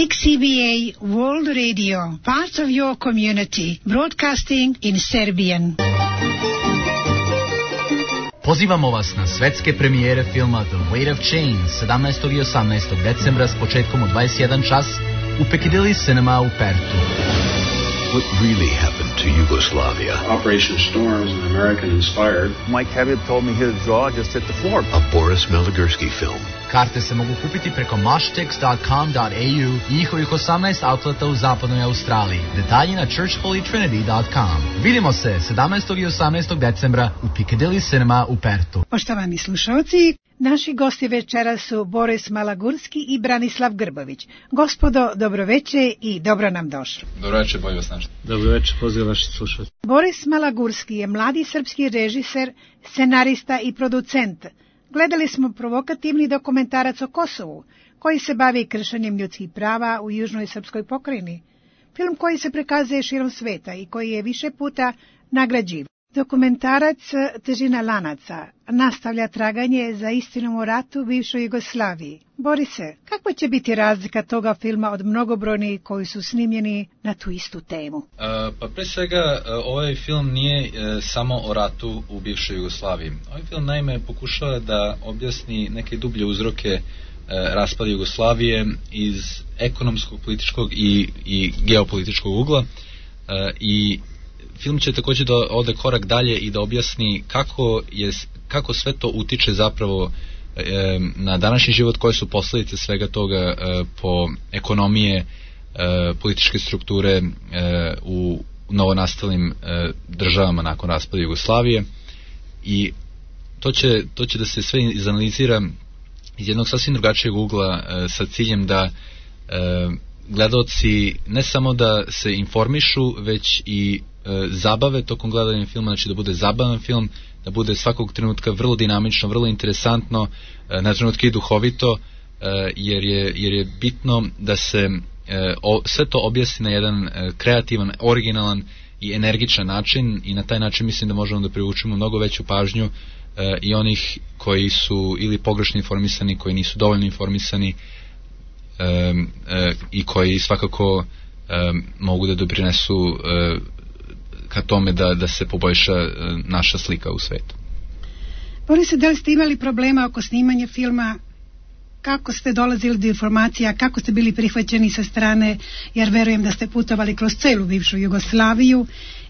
6CBA World Radio, part of your community, broadcasting in Serbian. Pozivamo vas na svetske premijere filma The Weight of Change 17. i 18. decembra s početkom u 21 čas u Piccadilly Cinema u Pertu. What really happened to Yugoslavia? Operation Storm is an American-inspired. Mike Elliott told me his jaw just hit the floor. A Boris Meligorsky film. Karte se mogu kupiti preko mashtix.com.au i njihovih 18 outleta u zapadnoj Australiji. Detalji na churchholytrinity.com. Vidimo se 17. i 18. decembra u Piccadilly Cinema u Pertu. Poštovani slušalci, naši gosti večera su Boris Malagurski i Branislav Grbović. Gospodo, dobroveče i dobro nam došli. Dobroveče, bolje vas našli. Dobroveče, pozdrav vaši slušalci. Boris Malagurski je mladi srpski režiser, scenarista i producent. Gledali smo provokativni dokumentarac o Kosovu, koji se bavi kršenjem ljudskih prava u južnoj srpskoj pokrajini. Film koji se prikazuje širom sveta i koji je više puta nagrađivan. Dokumentarac Težina lanaca nastavlja traganje za istinom o ratu u bivšoj Jugoslaviji. Borise, kakva će biti razlika toga filma od mnogobrojnih koji su snimljeni na tu istu temu? Pa pre svega, ovaj film nije samo o ratu u bivšoj Jugoslaviji. Ovaj film naime pokušava da objasni neke dublje uzroke raspada Jugoslavije iz ekonomskog, političkog i geopolitičkog ugla i film će također da ode korak dalje i da objasni kako sve to utiče zapravo na današnji život, koje su posljedice svega toga po ekonomije, političke strukture u novonastalim državama nakon raspada Jugoslavije. I to će da se sve izanalizira iz jednog sasvim drugačijeg ugla sa ciljem da gledaoci ne samo da se informišu, već i zabave tokom gledanja filma, znači da bude zabavan film, da bude svakog trenutka vrlo dinamično, vrlo interesantno, na trenutke i duhovito, jer je bitno da se sve to objasni na jedan kreativan, originalan i energičan način i na taj način mislim da možemo da privučemo mnogo veću pažnju i onih koji su ili pogrešno informisani, koji nisu dovoljno informisani i koji svakako mogu da doprinesu ka tome da se poboljša naša slika u svetu. Borise, da li ste imali problema oko snimanja filma? Kako ste dolazili do informacija? Kako ste bili prihvaćeni sa strane? Jer verujem da ste putovali kroz celu bivšu Jugoslaviju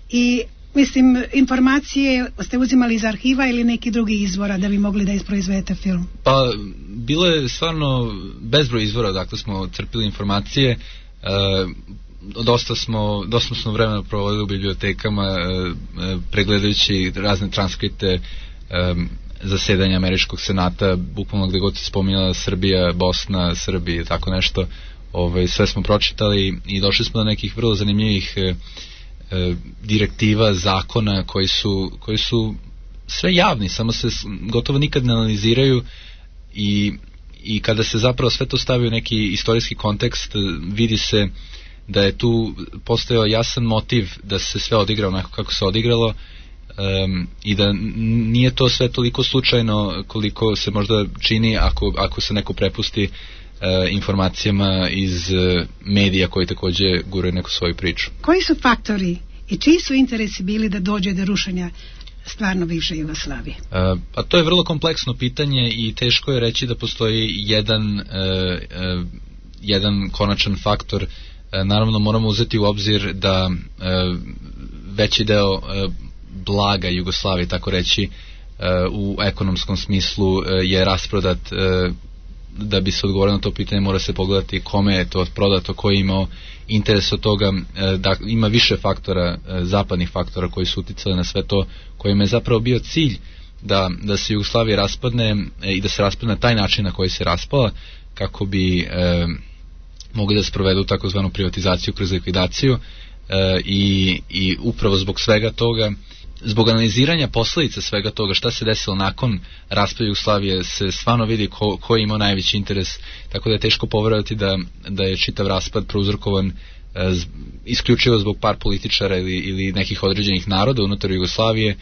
i mislim, informacije ste uzimali iz arhiva ili neki drugi izvora da bi mogli da isproizvedete film? Pa, bilo je stvarno bezbroj izvora, dakle smo crpili informacije. Dosta smo vremena provodili u bibliotekama pregledajući razne transkripte zasedanja Američkog senata, bukvalno gde god se spominjala Srbija, Bosna, Srbija, tako nešto, sve smo pročitali i došli smo do nekih vrlo zanimljivih direktiva, zakona koji su sve javni, samo se gotovo nikad ne analiziraju i kada se zapravo sve to stavi u neki istorijski kontekst, vidi se da je tu postojao jasan motiv da se sve odigra onako kako se odigralo i da nije to sve toliko slučajno koliko se možda čini ako se neko prepusti informacijama iz medija koji također guraju neku svoju priču. Koji su faktori i čiji su interesi bili da dođe do rušenja stvarno bivše Jugoslavije? Pa to je vrlo kompleksno pitanje i teško je reći da postoji jedan konačan faktor. Naravno moramo uzeti u obzir da veći deo blaga Jugoslavije, tako reći, u ekonomskom smislu je rasprodat. Da bi se odgovorilo na to pitanje mora se pogledati kome je to prodato, ko je imao interes od toga, da ima više faktora, zapadnih faktora koji su uticali na sve to, kojim je zapravo bio cilj da se Jugoslavija raspadne i da se raspadne na taj način na koji se raspala, kako bi mogli da sprovedu takozvanu privatizaciju kroz likvidaciju i upravo zbog svega toga, zbog analiziranja posljedica svega toga, šta se desilo nakon raspada Jugoslavije, se stvarno vidi ko je imao najveći interes, tako da je teško poverovati da je čitav raspad prouzrokovan isključivo zbog par političara ili nekih određenih naroda unutar Jugoslavije,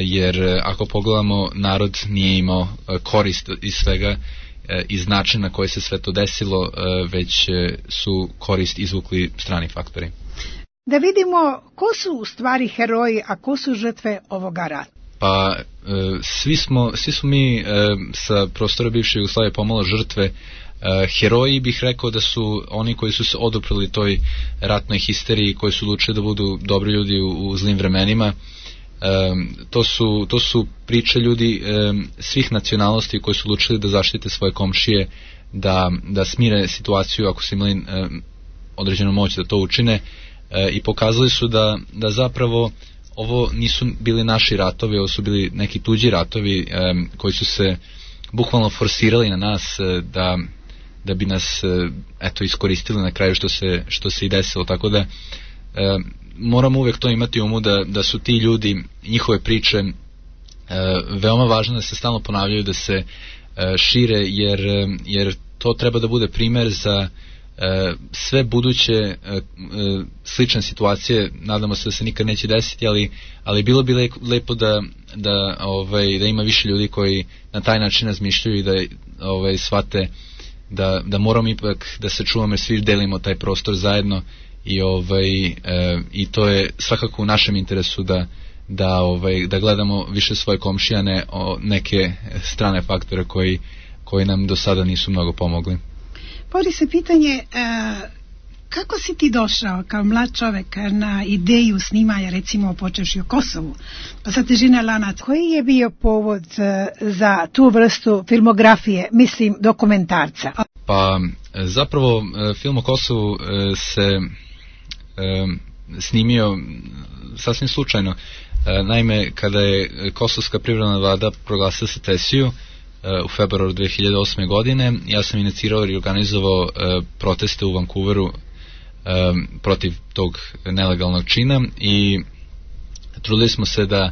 jer ako pogledamo, narod nije imao korist iz svega iz načina na koji se sve to desilo, već su korist izvukli strani faktori. Da vidimo ko su u stvari heroji, a ko su žrtve ovoga rata. Pa svi smo mi sa prostora bivše Jugoslavije pomalo žrtve. Heroji bih rekao da su oni koji su se oduprli toj ratnoj histeriji, koji su odlučili da budu dobri ljudi u zlim vremenima. To su priče ljudi svih nacionalnosti koji su odlučili da zaštite svoje komšije, da smire situaciju ako su imali određenu moć da to učine, i pokazali su da zapravo ovo nisu bili naši ratovi, ovo su bili neki tuđi ratovi koji su se bukvalno forsirali na nas da bi nas iskoristili na kraju, što se i desilo. Tako da moramo uvek to imati u umu, da su ti ljudi, njihove priče veoma važno da se stalno ponavljaju, da se šire, jer to treba da bude primer za sve buduće slične situacije. Nadamo se da se nikad neće desiti, ali bilo bi lepo da ima više ljudi koji na taj način razmišljaju i da shvate da moramo ipak da se čuvamo, jer svi delimo taj prostor zajedno, i to je svakako u našem interesu da gledamo više svoje komšije, a ne neke strane faktore koji nam do sada nisu mnogo pomogli. Povodi se pitanje, kako si ti došao kao mlad čovek na ideju snimanja, recimo počevši o Kosovu, pa sa težina lanac? Koji je bio povod za tu vrstu filmografije, mislim dokumentarca? Pa zapravo film o Kosovu se snimio sasvim slučajno. Naime, kada je Kosovska privremena vlada proglasila secesiju u februaru 2008. godine, ja sam inicirao i organizovao proteste u Vancouveru protiv tog nelegalnog čina, i trudili smo se da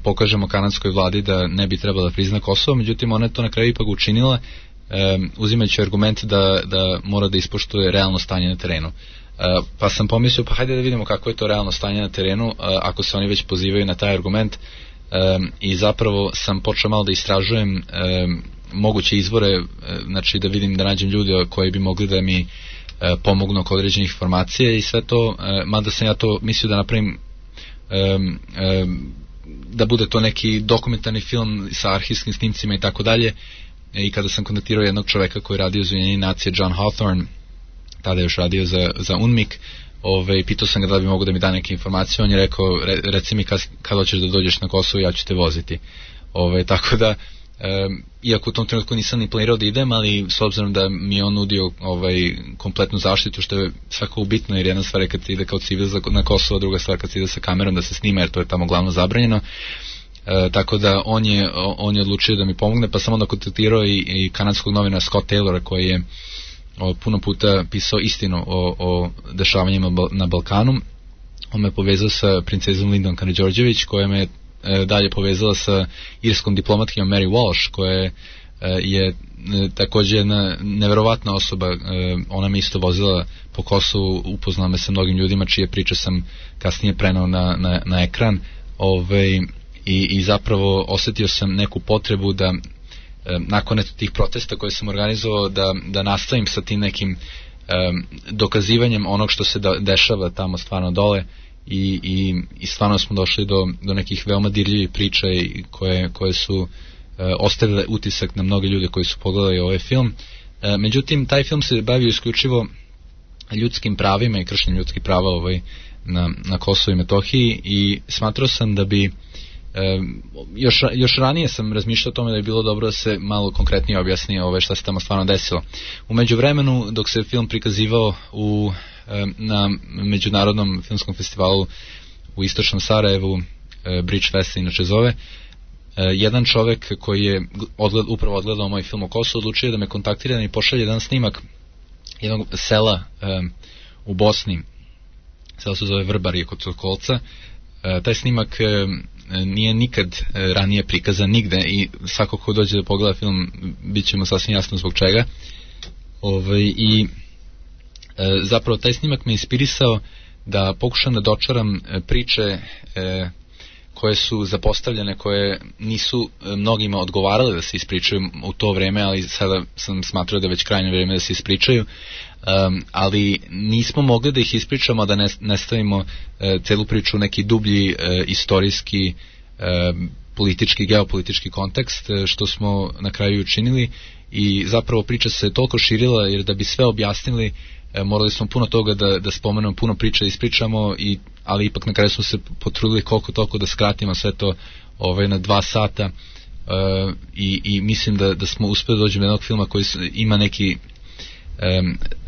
pokažemo kanadskoj vladi da ne bi trebala da prizna Kosovo. Međutim, ona je to na kraju ipak učinila, uzimajući argument da mora da ispoštuje realno stanje na terenu. Pa sam pomislio, pa hajde da vidimo kako je to realno stanje na terenu, ako se oni već pozivaju na taj argument, i zapravo sam počeo malo da istražujem moguće izvore, znači da vidim, da nađem ljude koji bi mogli da mi pomognu oko određenih informacija i sve to, mada sam ja to mislio da napravim da bude to neki dokumentarni film sa arhivskim snimcima i tako dalje. I kada sam kontaktirao jednog čoveka koji je radio za Ujedinjene nacije, John Hawthorne, tada je još radio za UNMIK, pitao sam ga da bi mogu da mi da neke informacije. On je rekao, reci mi kada hoćeš da dođeš na Kosovo, ja ću te voziti. Tako da, iako u tom trenutku nisam ni planirao da idem, ali s obzirom da mi je on nudio kompletnu zaštitu, što je svakako bitno, jer jedna stvar je kad se ide kao civil na Kosovo, druga stvar kad se ide sa kamerom da se snima, jer to je tamo glavno zabranjeno. Tako da on je odlučio da mi pomogne, pa sam onda kontaktirao i kanadskog novinara Scott Taylora, koji je puno puta pisao istinu o dešavanjima na Balkanu. On me povezao sa princezom Lindom Karađorđević, koja me dalje povezala sa irskom diplomatkinjom Mary Walsh, koja je takođe jedna neverovatna osoba. Ona me isto vozila po Kosovu, upoznala me sa mnogim ljudima čije priče sam kasnije prenao na ekran, i zapravo osetio sam neku potrebu da nakon tih protesta koje sam organizovao da nastavim sa tim nekim dokazivanjem onog što se dešava tamo stvarno dole, i stvarno smo došli do nekih veoma dirljivih priča koje su ostavile utisak na mnoge ljude koji su pogledali ovaj film. Međutim, taj film se bavio isključivo ljudskim pravima i kršenjem ljudskih prava na Kosovu i Metohiji, i smatrao sam da bi još ranije sam razmišljao o tome da je bilo dobro da se malo konkretnije objasni šta se tamo stvarno desilo. U međuvremenu, dok se film prikazivao na međunarodnom filmskom festivalu u istočnom Sarajevu, Bridge Fest se inače zove, jedan čovek koji je upravo odgledao moj film o Kosovu odlučio da me kontaktira i pošalje jedan snimak jednog sela u Bosni. Selo se zove Vrbari kod Sokolca. Taj snimak nije nikad ranije prikazan nigde, i svako ko dođe da pogleda film bit će mu sasvim jasno zbog čega. I zapravo taj snimak me inspirisao da pokušam da dočaram priče koje su zapostavljene, koje nisu mnogima odgovarale da se ispričaju u to vreme, ali sada sam smatrao da je već krajnje vreme da se ispričaju, ali nismo mogli da ih ispričamo, da ne stavimo celu priču u neki dublji istorijski, politički, geopolitički kontekst, što smo na kraju učinili, i zapravo priča se toliko širila, jer da bi sve objasnili morali smo puno toga da spomenemo, puno priča ispričamo, ali ipak na kraju smo se potrudili koliko toliko da skratimo sve to na 2 sata, i mislim da smo uspeli doći do jednog filma koji ima neki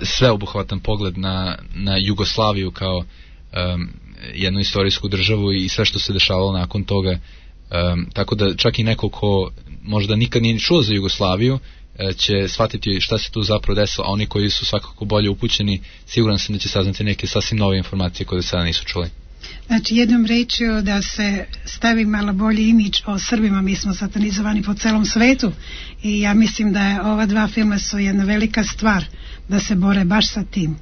sveobuhvatan pogled na Jugoslaviju kao jednu istorijsku državu i sve što se dešavalo nakon toga, tako da čak i neko ko možda nikad nije čuo za Jugoslaviju će shvatiti šta se tu zapravo desilo, a oni koji su svakako bolje upućeni, siguran sam da će saznati neke sasvim nove informacije koje do sada nisu čuli. Znači, jednom rečju da se stavi malo bolji imidž o Srbima, mi smo satanizovani po celom svetu, i ja mislim da je ova 2 filma su jedna velika stvar da se bore baš sa tim.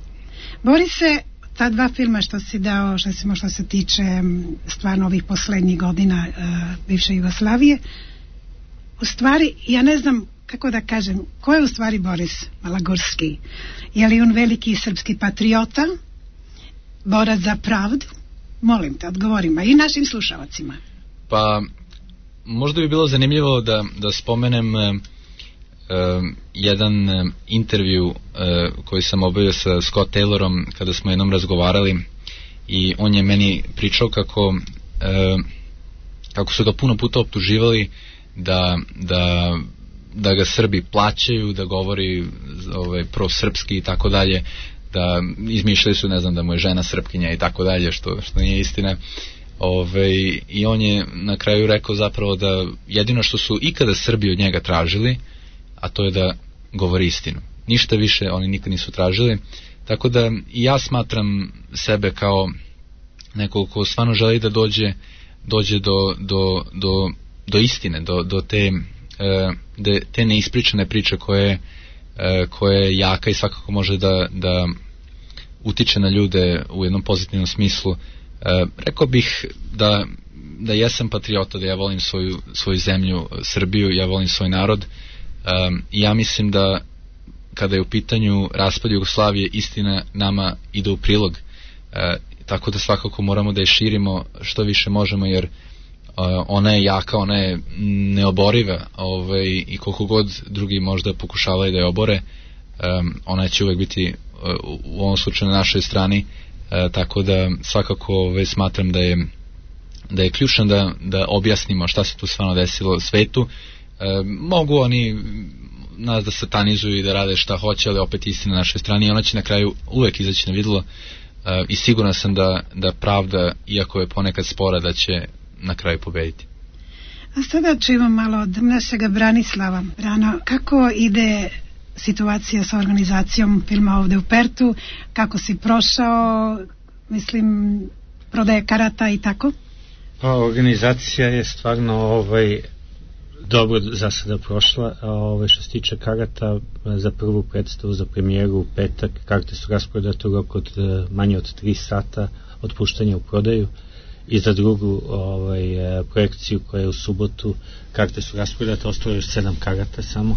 Bori se ta 2 filma što si dao, što se tiče stvarno ovih poslednjih godina bivše Jugoslavije. U stvari, ja ne znam kako da kažem, ko je u stvari Boris Malagurski? Je li on veliki srpski patriota, borac za pravdu? Molim te, odgovorima i našim slušalacima. Pa, možda bi bilo zanimljivo da spomenem jedan intervju koji sam obavio sa Scott Taylorom kada smo jednom razgovarali, i on je meni pričao kako su ga puno puta optuživali da ga Srbi plaćaju, da govori prosrpski i tako dalje, da izmišljaju su, ne znam, da mu je žena Srpkinja i tako dalje, što nije istina. I on je na kraju rekao zapravo da jedino što su ikada Srbi od njega tražili, a to je da govori istinu. Ništa više oni nikad nisu tražili, tako da i ja smatram sebe kao nekog ko stvarno želi da dođe do istine, do te neispričane priče koje je jaka i svakako može da utiče na ljude u jednom pozitivnom smislu. Rekao bih da jesam patriota, da ja volim svoju zemlju, Srbiju, ja volim svoj narod, i ja mislim da kada je u pitanju raspad Jugoslavije, istina nama ide u prilog, tako da svakako moramo da je širimo što više možemo, jer ona je jaka, ona je neoboriva, i koliko god drugi možda pokušavaju da je obore, ona će uvek biti u ovom slučaju na našoj strani, tako da svakako smatram da je ključno da objasnimo šta se tu stvarno desilo svetu. Mogu oni nas da satanizuju i da rade šta hoće, ali opet istina na našoj strani, i ona će na kraju uvek izaći na videlo, i siguran sam da pravda, iako je ponekad spora, da će na kraju pobediti. A sada čujemo malo od našega Branislava. Brano, kako ide situacija sa organizacijom filma ovde u Pertu? Kako si prošao, mislim, prodaje karata i tako? Pa, organizacija je stvarno dobro za sada prošla. Što se tiče karata za prvu predstavu, za premijeru u petak, karte su rasprodate u roku od manje od 3 sata od puštanja u prodaju, i za drugu projekciju koja je u subotu karte su rasprodate, ostalo je još 7 karata samo.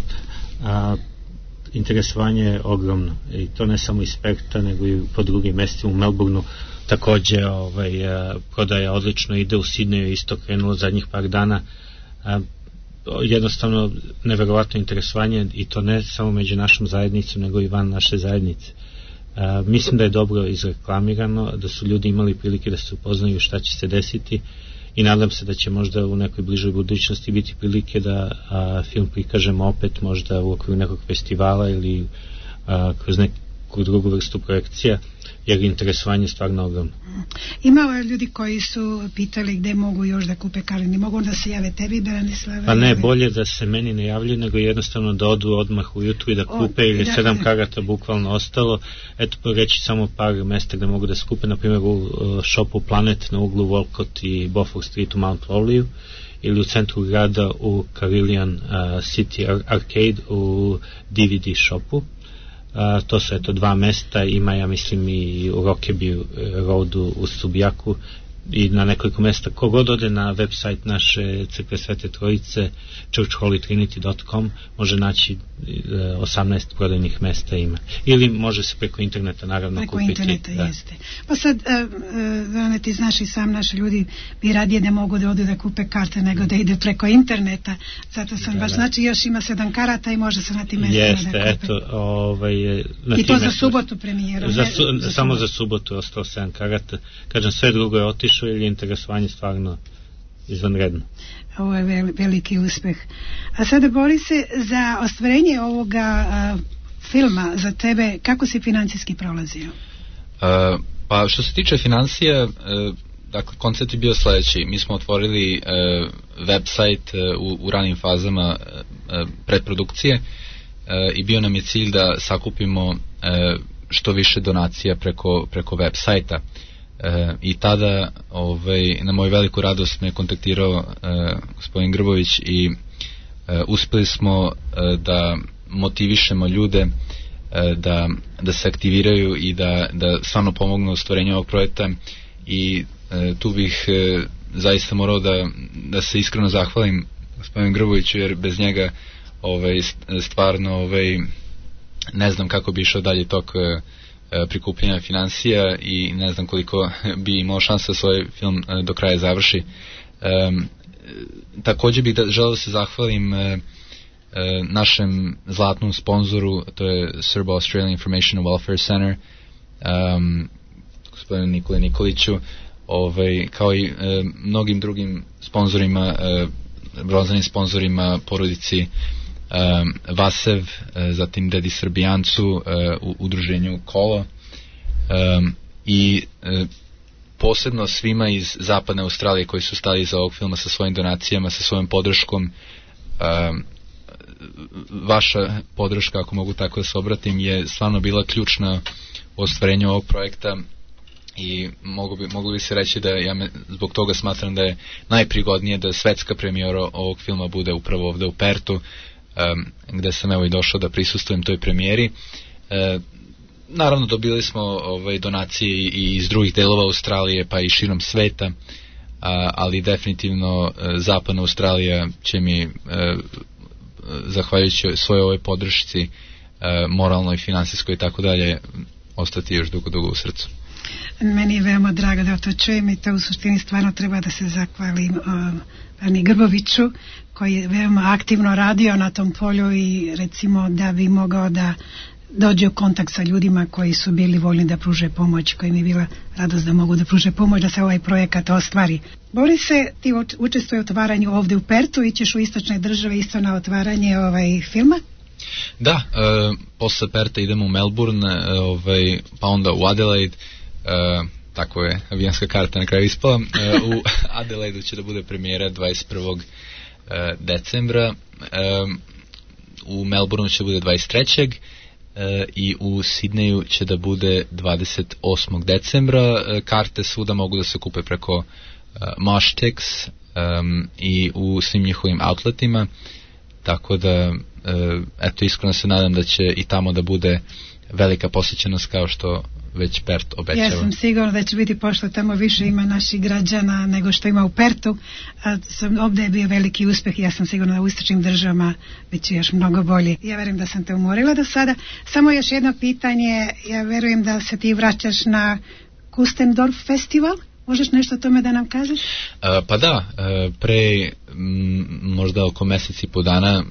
Interesovanje je ogromno, i to ne samo iz Perta nego i po drugim mestima. U Melbourneu takođe prodaja odlično ide, u Sidneju je isto krenulo zadnjih par dana. Jednostavno neverovatno interesovanje, i to ne samo među našom zajednicom nego i van naše zajednice. Mislim da je dobro izreklamirano, da su ljudi imali prilike da se upoznaju šta će se desiti, i nadam se da će možda u nekoj bližoj budućnosti biti prilike da film prikažemo opet, možda u okviru nekog festivala ili kroz neku drugu vrstu projekcija, jer interesovanje je stvarno ogromno. Ima ljudi koji su pitali gde mogu još da kupe karte, ne mogu da se jave tebi, Branislave? Pa ne, bolje da se meni ne javljaju, nego jednostavno da odu odmah ujutru i da kupe, ili 7 karata bukvalno ostalo. Eto, reći samo par mesta gde mogu da se kupe, na primjer u shopu Planet na uglu Walcott i Beaufort Street u Mount Lowley, ili u centru grada u Carilion City Arcade u DVD shopu. To su 2 mesta, ima, ja mislim, i u Rokeby Roadu u Subijaku, i na nekoliko mesta. Kogod ode na website naše crkve Svete Trojice, churchholytrinity.com, može naći 18 prodajnih mesta ima. Ili može se preko interneta naravno preko kupiti. Preko interneta, jeste. Pa sad, ti znaš i sam, naši ljudi bi radije da mogu da odu da kupe karte nego da ide preko interneta. Zato sam baš, znači još ima 7 karata i može se na tim mestima da kupe. Jeste, eto, i to za subotu premijeru. Samo za subotu je ostao 7 karata. Kažem, sve drugo je otišlo ili je interesovanje stvarno izvanredno. Ovo je veliki uspeh. A sada bori se za ostvarenje ovoga filma za tebe, kako si financijski prolazio? Pa što se tiče financija, dakle koncept je bio sledeći. Mi smo otvorili website u ranim fazama predprodukcije i bio nam je cilj da sakupimo što više donacija preko web sajta. I tada na moju veliku radost me kontaktirao gospodin Grbović i uspeli smo da motivišemo ljude da se aktiviraju i da stvarno pomognu u stvorenju ovog projekta i tu bih zaista morao da se iskreno zahvalim gospodinu Grboviću, jer bez njega stvarno ne znam kako bi išao dalje tok prikupljanja financija i ne znam koliko bi imao šanse da svoj film do kraja završi. Također bih želeo da se zahvalim našem zlatnom sponzoru, to je Serbo Australian Information and Welfare Center, gospodinu Nikoli Nikoliću, kao i mnogim drugim sponzorima, bronzanim sponzorima, porodici Vasev, zatim Dedi Srbijancu, u udruženju Kolo i posebno svima iz zapadne Australije koji su stali iza ovog filma sa svojim donacijama, sa svojom podrškom. Vaša podrška, ako mogu tako da se obratim, je stvarno bila ključna u ostvarenju ovog projekta i mogu bi se reći da zbog toga smatram da je najprigodnije da svetska premijera ovog filma bude upravo ovde u Pertu, gde sam evo i došao da prisustvujem toj premijeri. Naravno dobili smo donacije i iz drugih delova Australije pa i širom sveta, ali definitivno zapadna Australija će mi zahvaljujući svojoj ovoj podršci moralnoj, finansijskoj i tako dalje ostati još dugo u srcu. Meni je veoma drago da to čujem i to u suštini stvarno treba da se zahvalim Ani Grboviću koji je veoma aktivno radio na tom polju i recimo da bi mogao da dođe u kontakt sa ljudima koji su bili voljni da pruže pomoć, koji mi je bila radost da mogu da pruže pomoć da se ovaj projekat ostvari. Borise, ti učestvuje u otvaranju ovde u Pertu, ićeš u istočne države isto na otvaranje filma? Da, posle Perta idemo u Melbourne, pa onda u Adelaide, tako je avijanska karta na kraju ispala. U Adelaidu će da bude premijera 21. decembra, u Melbourneu će da bude 23. I u Sidneju će da bude 28. decembra. Karte svuda mogu da se kupe preko Mashtix i u svim njihovim outletima, tako da eto, iskreno se nadam da će i tamo da bude velika posjećenost kao što već Pert obećava. Ja sam sigurna da će biti, pošto tamo više ima naših građana nego što ima u Pertu, a ovdje je bio veliki uspeh i ja sam sigurna da u istočnim državama bit će još mnogo bolje. Ja verujem da sam te umorila do sada. Samo još jedno pitanje, ja verujem da se ti vraćaš na Kustendorf festival. Možeš nešto o tome da nam kažeš? Pa da, pre možda oko meseci i po dana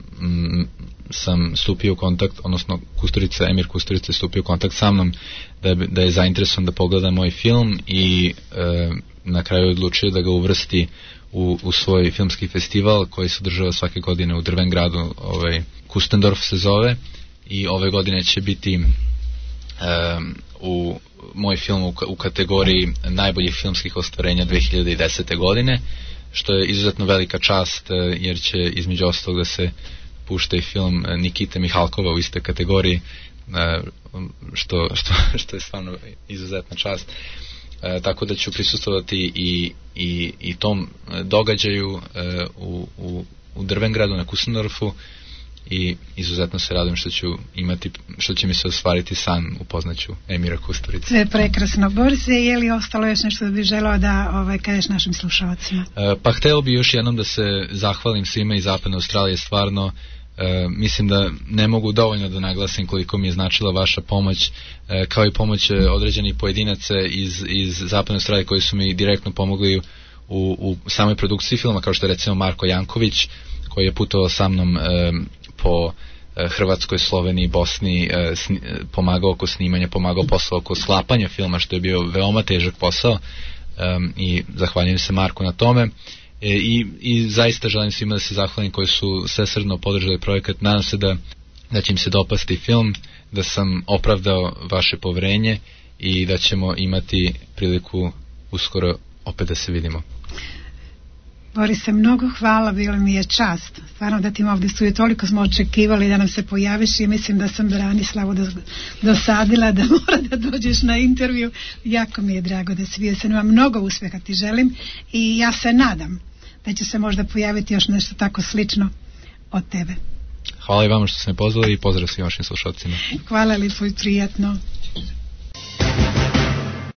sam stupio u kontakt, odnosno Emir Kusturica je stupio u kontakt sa mnom da je zainteresovan da pogleda moj film i na kraju odlučio da ga uvrsti u svoj filmski festival koji se održava svake godine u Drvengradu, Kustendorf se zove, i ove godine će biti u moj film u kategoriji najboljih filmskih ostvarenja 2010. godine, što je izuzetno velika čast, jer će između ostalog da se pušta i film Nikite Mihalkova u iste kategoriji, što je stvarno izuzetna čast. Tako da ću prisustvovati i tom događaju u Drvengradu na Kustendorfu i izuzetno se radujem što će mi se ostvariti san, upoznaću Emira Kusturicu. Sve prekrasno. Borise, je li ostalo još nešto da bi želeo da kažeš našim slušalcima? Pa hteo bi još jednom da se zahvalim svima iz Zapadne Australije, stvarno mislim da ne mogu dovoljno da naglasim koliko mi je značila vaša pomoć, kao i pomoć određenih pojedinaca iz Zapadne Australije koji su mi direktno pomogli u samoj produkciji filma, kao što je recimo Marko Janković, koji je putovao sa mnom po Hrvatskoj, Sloveniji, Bosni, pomagao oko snimanja, pomagao posao oko sklapanja filma, što je bio veoma težak posao, i zahvaljujem se Marku na tome. I zaista želim svima da se zahvalim koji su svesrdno podržali projekat. Nadam se da će im se dopasti film, da sam opravdao vaše poverenje i da ćemo imati priliku uskoro opet da se vidimo. Borise, mnogo hvala, bilo mi je čast. Stvarno da ti ovdje studiju, toliko smo očekivali da nam se pojaviš i mislim da sam Branislavu dosadila da mora da dođeš na intervju. Jako mi je drago da si bio sa nama. Mnogo uspjeha ti želim i ja se nadam da će se možda pojaviti još nešto tako slično od tebe. Hvala i vama što ste me pozvali i pozdrav svim vašim slušalcima. Hvala, lijepo i prijatno.